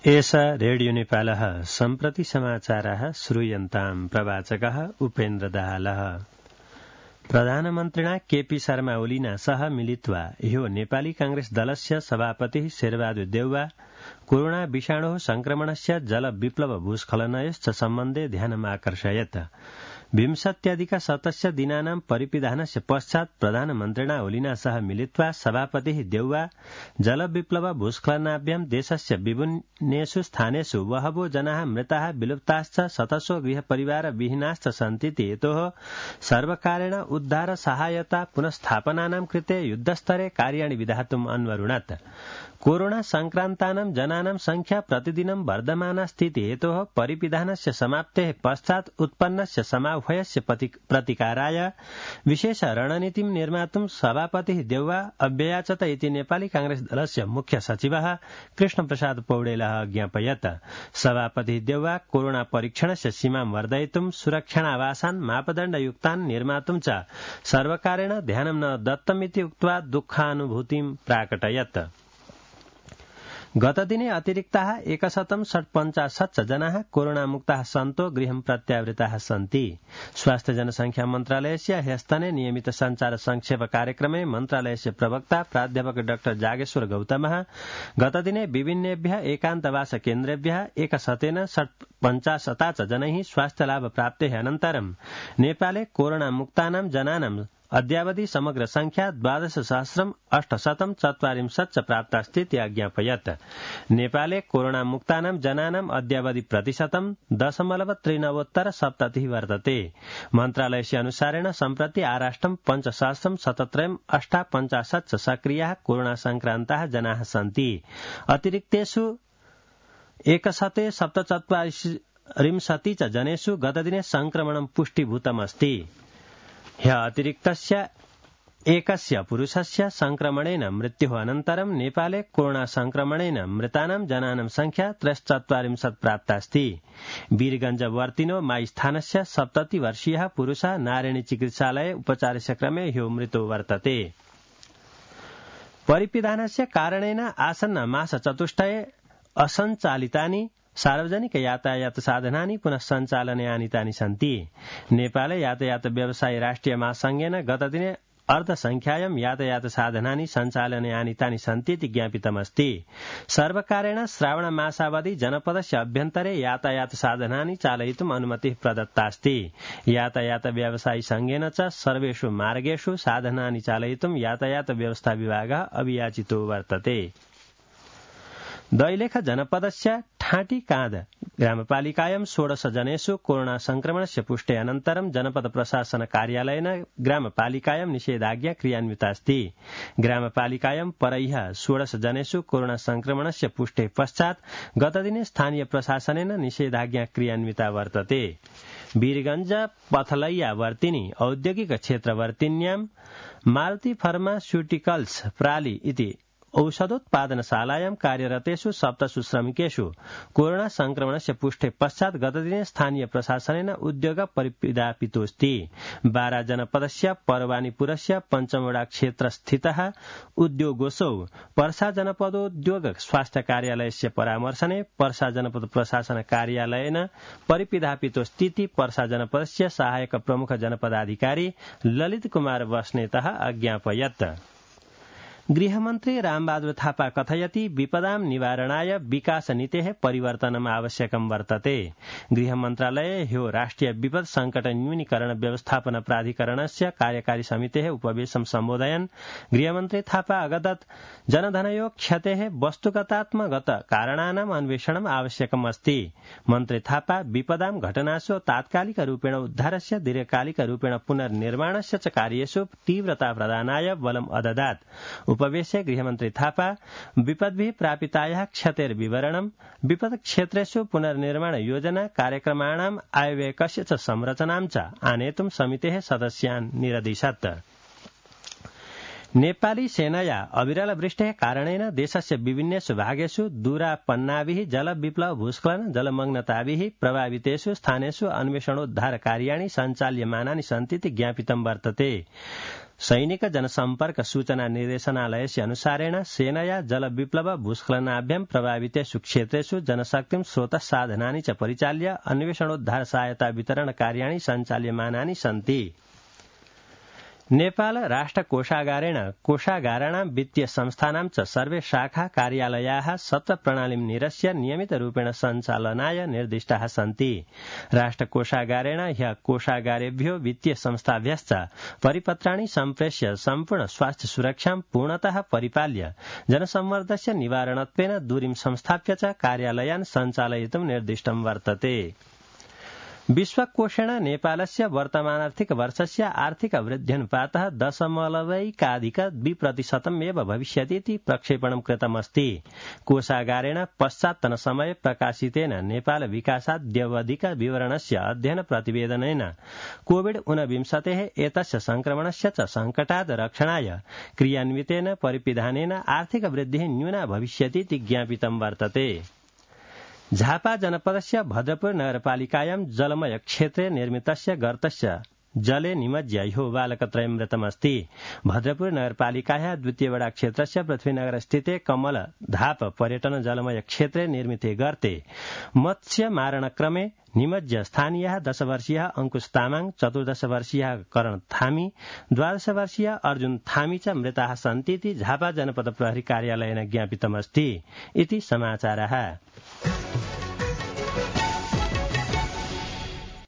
एष रेडियो नेपालः सम्प्रति समाचारः श्रूयन्ताम् प्रवाचकः उपेन्द्र दाहालः। प्रधानमन्त्रिणा केपी शर्मा ओलीना सह मिलित्वा ह्यो नेपाली कांग्रेस दलस्य सभापतिः शेरबहादुर देउवा कोरोना विषाणोः संक्रमणस्य जलविप्लव भूस्खलनयोश्च सम्बन्धे ध्यानमाकर्षयत्। विंशत्यधिकशतस्य दिनानां परिपिधानस्य पश्चात् प्रधानमन्त्रिणा ओलीना सह मिलित्वा सभापतिः देउवा जलविप्लव भूस्खलनाभ्यां देशस्य विभिन्नेषु स्थानेषु बहवो जनाः मृताः विलुप्ताश्च शतशो गृहपरिवार विहीनाश्च सन्तीति हेतोः सर्वकारेण उद्धार सहायता पुनस्थापनानां कृते युद्धस्तरे कार्याणि विधातुम् अन्वरुणत्। कोरोना संक्रान्तानां जनानां संख्या प्रतिदिनं वर्धमानास्तीति हेतोः परिपिधानस्य समाप्तेः पश्चात् उत्पन्नस्य समाह्वयस्य प्रतिकाराय विशेष रणनीतिं निर्मातुं सभापतिः देउवा अभ्ययाचत इति नेपाली कांग्रेस दलस्य मुख्य सचिवः कृष्णप्रसाद पौडेलः ज्ञापयत्। सभापतिः देउवा कोरोना परीक्षणस्य सीमां वर्धयितुं सुरक्षणावासान् मापदण्डयुक्तान् निर्मातुं च सर्वकारेण ध्यानं न दत्तमिति उक्त्वा दुःखानुभूतिं प्राकटयत्। गतदिने अतिरिक्ताः 150 जनाः कोरोनामुक्ताः सन्तो गृहं प्रत्यावृताः सन्ति। स्वास्थ्य जनसंख्या मन्त्रालयस्य ह्यस्तने नियमित संचार संक्षेप कार्यक्रमे मन्त्रालयस्य प्रवक्ता प्राध्यापक डाक्टर जागेश्वर गौतमः गतदिने विभिन्नेभ्यः एकान्तवास केन्द्रेभ्यः 150 जनैः स्वास्थ्यलाभ प्राप्तेः अनन्तरं नेपाले कोरोनामुक्तानां जनानां अद्यावधि समग्र संख्या 12,840 प्राप्तास्ति इति अज्ञापयत्। नेपाले कोरोनामुक्तानां जनानां अद्यावधि प्रतिशतं 0.39 वर्तते। मन्त्रालयस्य अनुसारेण सम्प्रति आराष्ट्रं 5,17,858 सक्रियाः कोरोना संक्रान्ताः जनाः सन्ति। अतिरिक्तेषु 147 जनेषु गतदिने संक्रमणं पुष्टिभूतमस्ति। ह्य अतिरिक्तस्य एकस्य पुरुषस्य संक्रमणेन मृत्युः अनन्तरं नेपाले कोरोना संक्रमणेन मृतानां जनानां संख्या 43 प्राप्तास्ति। वीरगंजवर्तिनो माईस्थानस्य 70 वर्षीयः पुरुषः नारायणी चिकित्सालये उपचारस्य क्रमे ह्यो मृतो वर्तते। परिपिधानस्य कारणेन आसन्न मासचतुष्टये असञ्चालितानि सार्वजनिक यातायात साधनानि पुनः सञ्चालने आनीतानि सन्ति। नेपाल यातायात व्यवसायी राष्ट्रिय महासंघेन गतदिने अर्धसंख्यायां यातायात साधनानि सञ्चालने आनीतानि सन्ति इति ज्ञापितमस्ति। सर्वकारेण श्रावण मासावधि जनपदस्य अभ्यन्तरे यातायात साधनानि चालयितुम् अनुमतिः प्रदत्तास्ति। यातायात व्यवसायी संघेन च सर्वेषु मार्गेषु साधनानि चालयितुम् यातायात व्यवस्था विभागः अभियाचितो वर्तते। दैलेख जनपदस्य ठाँटी काँध ग्रामपालिकायां 16 जनेषु कोरोना संक्रमणस्य पुष्टे अनन्तरं जनपद प्रशासन कार्यालयेन ग्रामपालिकायां निषेधाज्ञा क्रियान्वितास्ति। ग्रामपालिकायां परह्यः 16 जनेषु कोरोना संक्रमणस्य पुष्टे पश्चात् गतदिने स्थानीय प्रशासनेन निषेधाज्ञा क्रियान्विता वर्तते। वीरगंज पथलैया वर्तिनी औद्योगिक क्षेत्रवर्तिन्यां मारुति फार्मास्यूटिकल्स प्राली इति औषधोत्पादनशालायां कार्यरतेषु 7 श्रमिकेषु कोरोना संक्रमणस्य पुष्टे पश्चात् गतदिने स्थानीय प्रशासनेन उद्योग परिपिधापितोऽस्ति। बारा जनपदस्य परवानीपुरस्य पञ्चमवडा क्षेत्रस्थितः उद्योगोऽसौ पर्सा जनपदोद्योग स्वास्थ्य कार्यालयस्य परामर्शने पर्सा जनपद प्रशासन कार्यालयेन परिपिधापितोऽस्तीति पर्सा जनपदस्य सहायक प्रमुख जनपदाधिकारी ललित कुमार बस्नेतः अज्ञापयत्। गृहमन्त्री रामबहादुर थापा कथयति विपदां निवारणाय विकास नीतेः परिवर्तनम् आवश्यकं वर्तते। गृहमन्त्रालये ह्यो राष्ट्रिय विपद संकट न्यूनीकरण व्यवस्थापन प्राधिकरणस्य कार्यकारी समितेः उपवेशनं सम्बोधयन् गृहमन्त्री थापा अगदत् जनधनयो क्षतेः वस्तुगतात्मगत कारणानाम् अन्वेषणम् आवश्यकम् अस्ति। मन्त्री थापा विपदां घटनासु तात्कालिक रूपेण उद्धारस्य दीर्घकालिक रूपेण पुनर्निर्माणस्य च कार्येषु तीव्रता प्रदानाय बलम् अददात्। उपवेशे गृहमन्त्री थापा विपद्भिः प्रापितायाः क्षतेर्विवरणं विपद क्षेत्रेषु पुनर्निर्माण योजना कार्यक्रमाणाम् आयव्ययस्य च संरचनां च आनेतुं समितेः सदस्यान् निरदिशत्। नेपाली सेनया अविरल वृष्टेः कारणेन देशस्य विभिन्नेषु भागेषु दूरापन्नाभिः जलविप्लव भूस्खलन जलमग्नताभिः प्रभावितेषु स्थानेषु अन्वेषणोद्धार कार्याणि सञ्चाल्यमानानि सन्ति इति ज्ञापितं वर्तते। सैनिक जनसम्पर्क सूचना निर्देशनालयस्य अनुसारेण सेनया जलविप्लव भूस्खलनाभ्यां प्रभावितेषु क्षेत्रेषु जनशक्तिं स्रोतसाधनानि च परिचाल्य अन्वेषणोद्धार सहायता वितरण कार्याणि सञ्चाल्यमानानि सन्ति। नेपाल राष्ट्र कोषागारेण कोषागाराणां वित्तीय संस्थानां च सर्वे शाखा कार्यालयाः सत्र प्रणालीं निरस्य नियमितरूपेण सञ्चालनाय निर्दिष्टाः सन्ति। राष्ट्र कोषागारेण ह्यः कोषागारेभ्यो वित्तीय संस्थाभ्यश्च परिपत्राणि सम्प्रेष्य सम्पूर्ण स्वास्थ्य सुरक्षां पूर्णतः परिपाल्य जनसम्मर्दस्य निवारणत्वेन दूरीं संस्थाप्य च कार्यालयान् सञ्चालयितुं निर्दिष्टं वर्तते। विश्वकोषेण नेपालस्य वर्तमानार्थिक वर्षस्य आर्थिक वृद्ध्यनुपातः 0.2% एव भविष्यति इति प्रक्षेपणं कृतमस्ति। कोषागारेण पश्चात्तनसमये प्रकाशितेन नेपाल विकासाद्यवधिक विवरणस्य अध्ययन प्रतिवेदनेन कोविड-19 एतस्य संक्रमणस्य च संकटात् रक्षणाय क्रियान्वितेन परिपिधानेन आर्थिक वृद्धिः न्यूना भविष्यति इति ज्ञापितं वर्तते। झापा जनपदस्य भद्रपुर नगरपालिकायां जलमय क्षेत्रे निर्मितस्य गर्तस्य जले निमज्य ह्यो बालकत्रयं मृतमस्ति। भद्रपुर नगरपालिकायाः द्वितीय वडा क्षेत्रस्य पृथ्वीनगर स्थिते कमल धाप पर्यटन जलमय क्षेत्रे निर्मिते गर्ते मत्स्य मारणक्रमे निमज्य स्थानीयः 10 वर्षीयः अंकुश तामाङ, 14 वर्षीयः करण थामी, 12 वर्षीयः अर्जुन थामी च मृताः सन्ति इति झापा जनपद प्रहरी कार्यालयेन ज्ञापितमस्ति इति समाचारः।